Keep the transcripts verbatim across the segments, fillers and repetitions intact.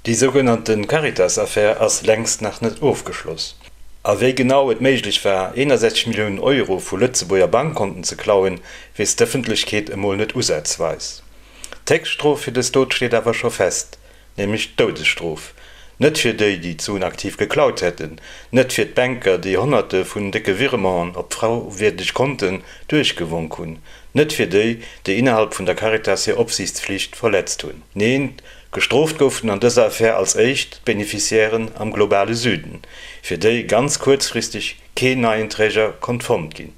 Déi sougenannte Caritas-Affär ass längst nach net ofgeschloss. A wéi genau et méiglech war, eenasechzeg Milliounen Euro vu Lëtzebuerger Bankkonten ze klauen, weess d'Ëffentlechkeet emol net usazweis. D'Héchststrof fir dës Dot steet awer scho fest, nämlech d'Doudesstrof. Net fir déi, déi d'Suen aktiv geklaut hätten, net fir d'Banker, déi Honnerte vun décke Virementen op frauwierdeg Konten duerchgewonk hunn, net fir déi, déi innerhalb vun der Caritas hir Opsiichtsflicht verletzt hunn. Neen, gestrooft goufen an dëser Affär als éischt d'Beneficiairen am globale Süden, fir déi ganz kuerzfristeg keen neien Träger konnt fonnt ginn.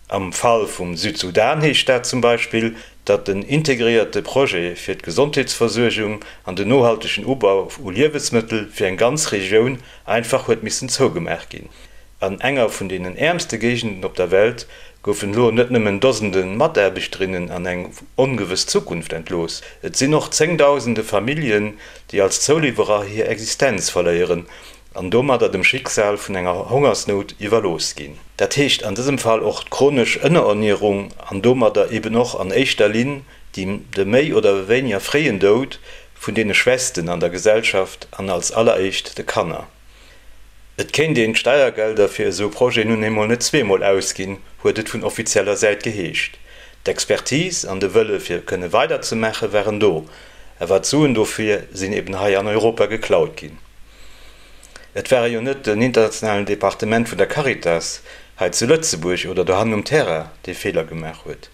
Am Fall vum Südsudan heescht dat zum Beispill, datt en integréierte Projet fir d'Gesondheetsversuergung an den nohaltegen Ubau u Liewensmëttel fir eng ganz Regioun einfach huet missen zougemaach ginn. An enger vun deenen äermste Géigenden op der Welt goufen elo net nëmmen Dosende Mataarbechterinnen an eng ongewëss Zukunft entlooss, et sinn och zéngdausende Familljen, déi als Zouliwwerer hir Existenz verléieren an domadder dem Schicksal vun enger Hongersnout iwwerlooss ginn. Dat heescht an dësem Fall och d'chronesch Ënnerernierung an domadder eben och an éischter Linn de méi oder wéiniger fréien Doud vun deene Schwächsten an der Gesellschaft an als alleréischt de Kanner. Et kéint een d'Steiergelder fir esou Projeten nun eemol net zweemol ausginn, huet et vun offizieller Säit geheescht. D'Expertise an de Wëlle fir kënne weiderzemaache waren do, awer d'Suen dofir sinn eben hei an Europa geklaut ginn. Et ware jo net den internationalen Departement vun der Caritas hei zu Lëtzebuerg oder dohannen um Terrain, dee Feeler gemaach huet.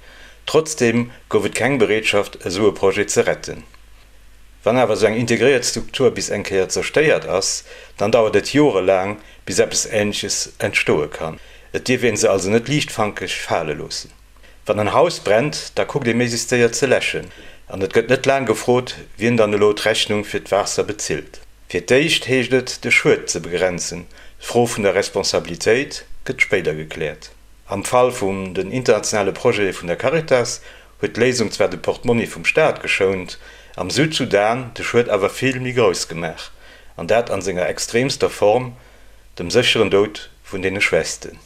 Trotzdeem gouf et keng Bereetschaft, esou e Projet ze retten. Wann awer esou eng integréiert Struktur bis eng Kéier zerstéiert ass, dann dauert et jorelaang, bis eppes Änleches entstoe kann. Et dierf ee se also net liichtfankeg fale loossen. Wann en Haus brennt, da kuckt ee méiglechst séier ze läschen an et gëtt net laang gefrot, wien dann elo d'Rechnung fir d'Waasser bezilt. Fir d'éischt heescht et, de Schued ze begrenzen, d'Fro vun der Responsabilitéit gëtt spéider gekläert. Am Fall vum den internationale Projete vun der Caritas huet d'Léisung zwar de Portmonni vum Staat geschount, am Südsudan de Schued awer vill méi grouss gemaach, an dat an senger extremster Form, dem sécheren Doud vun deene Schwächsten.